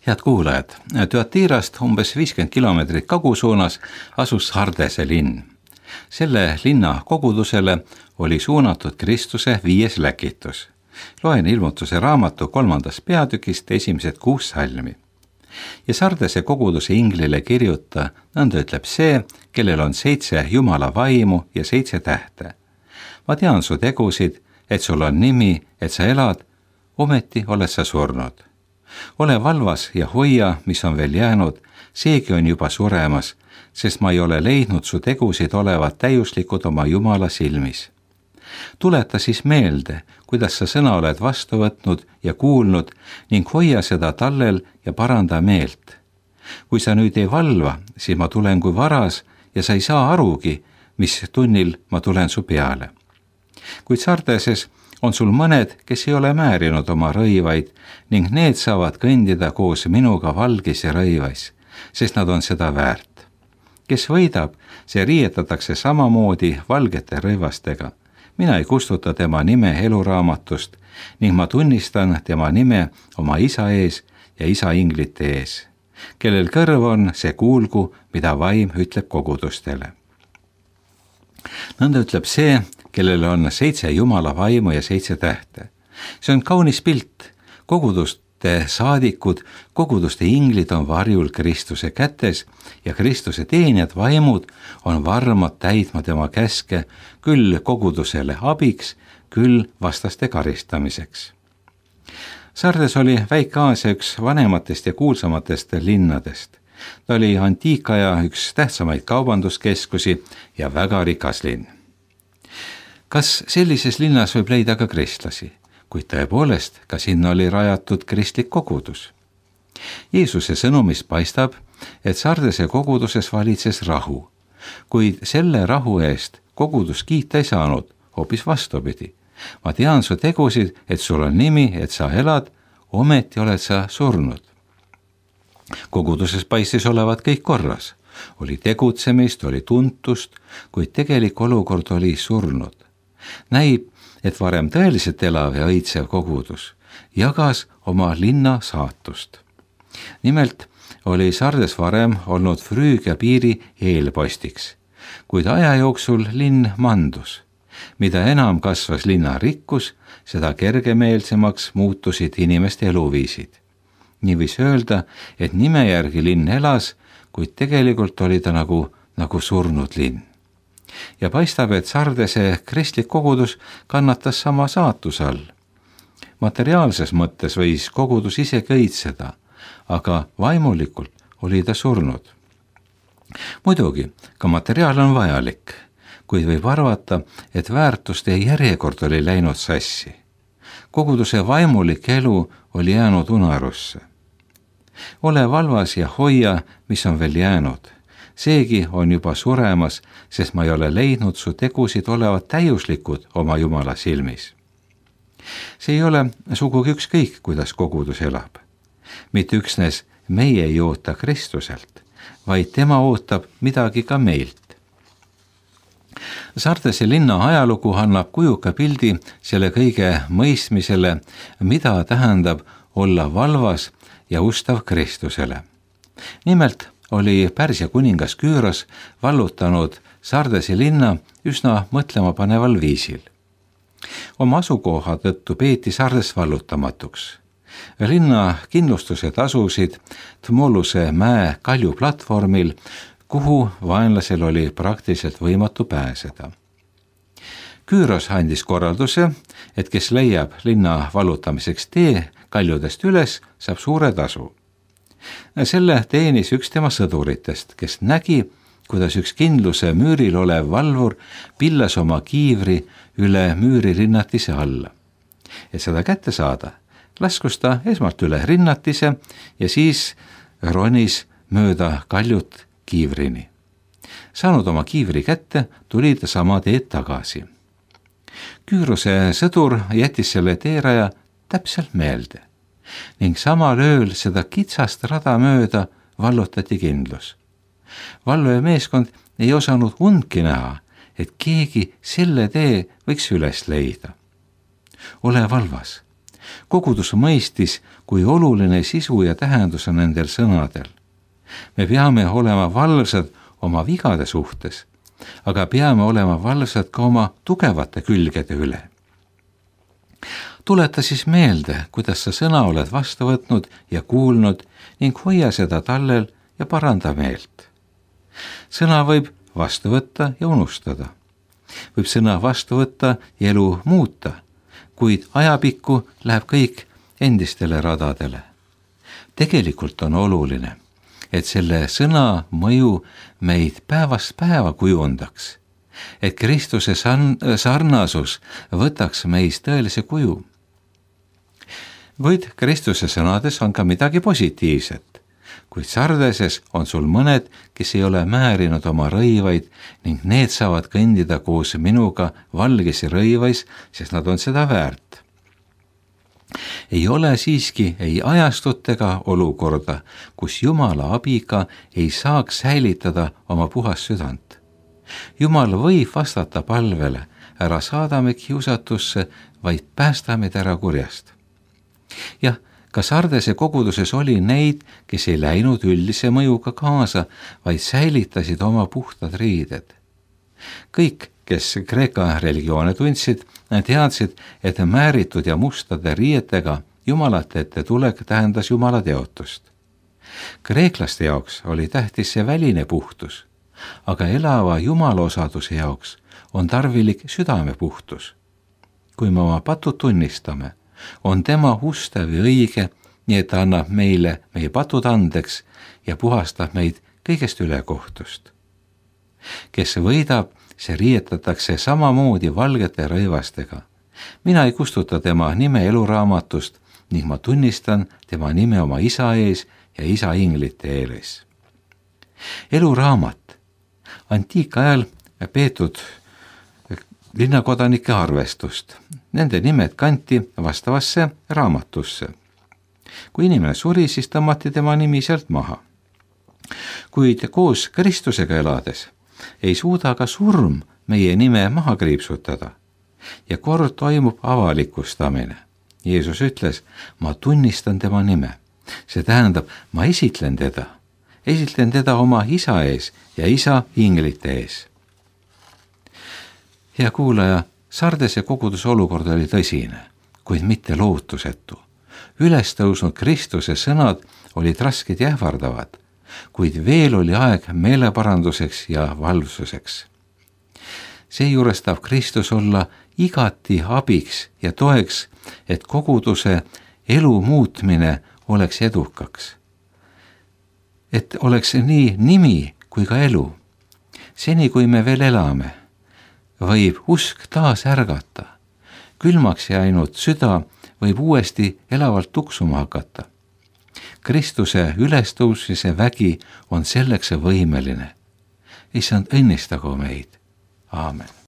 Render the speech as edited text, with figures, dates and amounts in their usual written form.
Head kuulajad, Thyatirast umbes 50 kilomeetrit kagusuunas asus Sardese linn. Selle linna kogudusele oli suunatud Kristuse 5. läkitus. Loen Ilmutuse raamatu 3. peatükist esimesed 6 salmi. Ja Sardese koguduse inglile kirjuta, nõnda ütleb see, kellel on 7 Jumala vaimu ja 7 tähte. Ma tean su tegusid, et sul on nimi, et sa elad, ometi oled sa surnud. Ole valvas ja hoia, mis on veel jäänud, seegi on juba suremas, sest ma ei ole leidnud su tegusid olevat täiuslikud oma Jumala silmis. Tuleta siis meelde, kuidas sa sõna oled vastu võtnud ja kuulnud ning hoia seda tallel ja paranda meelt. Kui sa nüüd ei valva, siis ma tulen kui varas ja sa ei saa arugi, mis tunnil ma tulen su peale. Kuid Sardeses on sul mõned, kes ei ole määrinud oma rõivaid ning need saavad kõndida koos minuga valgis ja rõivais, sest nad on seda väärt. Kes võidab, see riietatakse samamoodi valgete rõivastega. Mina ei kustuta tema nime eluraamatust ning ma tunnistan tema nime oma isa ees ja isa inglite ees. Kellel kõrv on, see kuulgu, mida vaim ütleb kogudustele. Nõnda ütleb see, kellel on 7 Jumala vaimu ja 7 tähte. See on kaunis pilt. Koguduste saadikud, koguduste inglid on varjul Kristuse kätes ja Kristuse teenijad vaimud on varmad täitma tema käske, küll kogudusele abiks, küll vastaste karistamiseks. Sardes oli Väike-Aasia üks vanematest ja kuulsamatest linnadest. Ta oli antiikaja üks tähtsamaid kaubanduskeskusi ja väga rikas linn. Kas sellises linnas võib leida ka kristlasi? Kuid tõepoolest, ka sinna oli rajatud kristlik kogudus. Jeesuse sõnumis paistab, et Sardese koguduses valitses rahu, kuid selle rahu eest kogudus kiita ei saanud, hoopis vastupidi. Ma tean su tegusid, et sul on nimi, et sa elad, ometi oled sa surnud. Koguduses paistis olevat kõik korras. Oli tegutsemist, oli tuntust, kuid tegelik olukord oli surnud. Näib, et varem tõeliselt elav ja õitsev kogudus jagas oma linna saatust. Nimelt oli Sardes varem olnud Früügia piiri eelpostiks, kuid aja jooksul linn mandus. Mida enam kasvas linna rikkus, seda kergemeelsemaks muutusid inimeste eluviisid. Nii võis öelda, et nime järgi linn elas, kuid tegelikult oli ta nagu surnud linn. Ja paistab, et Sardese kristlik kogudus kannatas sama saatuse all. Materiaalses mõttes võis kogudus isegi õitseda, aga vaimulikult oli ta surnud. Muidugi, ka materiaal on vajalik, kuid võib arvata, et väärtuste järjekord oli läinud sassi. Koguduse vaimulik elu oli jäänud unarusse. Ole valvas ja hoia, mis on veel jäänud. Seegi on juba suremas, sest ma ei ole leidnud su tegusid olevat täiuslikud oma Jumala silmis. See ei ole sugugi ükskõik, kuidas kogudus elab. Mitte üksnes meie ei oota Kristuselt, vaid tema ootab midagi ka meilt. Sardese linna ajalugu annab kujuka pildi selle kõige mõistmisele, mida tähendab olla valvas ja ustav Kristusele. Nimelt oli Pärsia kuningas Küüros vallutanud Sardese linna üsna mõtlemapaneval viisil. Oma asukoha tõttu peeti Sardes vallutamatuks. Linna kindlustuse tasusid Tmoluse mäe kaljuplatvormil, kuhu vaenlasel oli praktiliselt võimatu pääseda. Küüros andis korralduse, et kes leiab linna vallutamiseks tee kaljudest üles, saab suure tasu. Selle teenis üks tema sõduritest, kes nägi, kuidas üks kindluse müüril olev valvur pillas oma kiivri üle müüri rinnatise alla. Et seda kätte saada, laskus ta esmalt üle rinnatise ja siis ronis mööda kaljut kiivrini. Saanud oma kiivri kätte, tuli ta sama teed tagasi. Küürose sõdur jättis selle teeraja täpselt meelde ning samal ööl seda kitsast rada mööda vallutati kindlus. Valve meeskond ei osanud undki näha, et keegi selle tee võiks üles leida. Ole valvas. kogudus mõistis, kui oluline sisu ja tähendus on nendel sõnadel. me peame olema valvsad oma vigade suhtes, aga peame olema valvsad ka oma tugevate külgede üle. Tuleta siis meelde, kuidas sa sõna oled vastu võtnud ja kuulnud ning hoia seda tallel ja paranda meelt. Sõna võib vastu võtta ja unustada. Võib sõna vastu võtta ja elu muuta, kuid ajapikku läheb kõik endistele radadele. Tegelikult on oluline, et selle sõna mõju meid päevast päeva kujundaks, et Kristuse sarnasus võtaks meis tõelise kuju. Kuid Kristuse sõnades on ka midagi positiivset. Kuid Sardeses on sul mõned, kes ei ole määrinud oma rõivaid ning need saavad kõndida koos minuga valgesi rõivais, sest nad on seda väärt. Ei ole siiski ei ajastut ega olukorda, kus Jumala abiga ei saaks säilitada oma puhast südant. Jumal võib vastata palvele, ära saada meid kiusatusse, vaid päästa meid ära kurjast. Jah, ka Sardese koguduses oli neid, kes ei läinud üldise mõjuga kaasa, vaid säilitasid oma puhtad riided. Kõik, kes Kreeka religioone tundsid, teadsid, et määritud ja mustade riietega jumalate ette tulek tähendas Jumala teotust. Kreeklaste jaoks oli tähtis see väline puhtus, aga elava Jumala osaduse jaoks on tarvilik südame puhtus. Kui me oma patud tunnistame, on tema ustav ja õige, nii et ta annab meile meie patud andeks ja puhastab meid kõigest ülekohtust. Kes võidab, see riietatakse samamoodi valgete rõivastega. Mina ei kustuta tema nime eluraamatust ning ma tunnistan tema nime oma isa ees ja isa inglite ees. Eluraamat, antiikajal peetud linnakodanike arvestust. Nende nimed kanti vastavasse raamatusse. Kui inimene suri, siis tõmmati tema nimi sealt maha. Kuid koos Kristusega elades ei suuda ka surm meie nime maha kriipsutada. Ja kord toimub avalikustamine. Jeesus ütles, ma tunnistan tema nime. See tähendab, ma esitlen teda oma isa ees ja isa inglite ees. Hea kuulaja, Sardese koguduse olukord oli tõsine, kuid mitte lootusetu. Ülestõusnud Kristuse sõnad olid rasked ja ähvardavad, kuid veel oli aeg meeleparanduseks ja valvsuseks. Seejuures tahab Kristus olla igati abiks ja toeks, et koguduse elu muutmine oleks edukaks. Et oleks nii nimi kui ka elu. Seni, kui me veel elame, võib usk taas ärgata. Külmaks jäänud süda võib uuesti elavalt tuksuma hakata. Kristuse ülestõusmise vägi on selleks võimeline. Issand, õnnistagu meid. Aamen.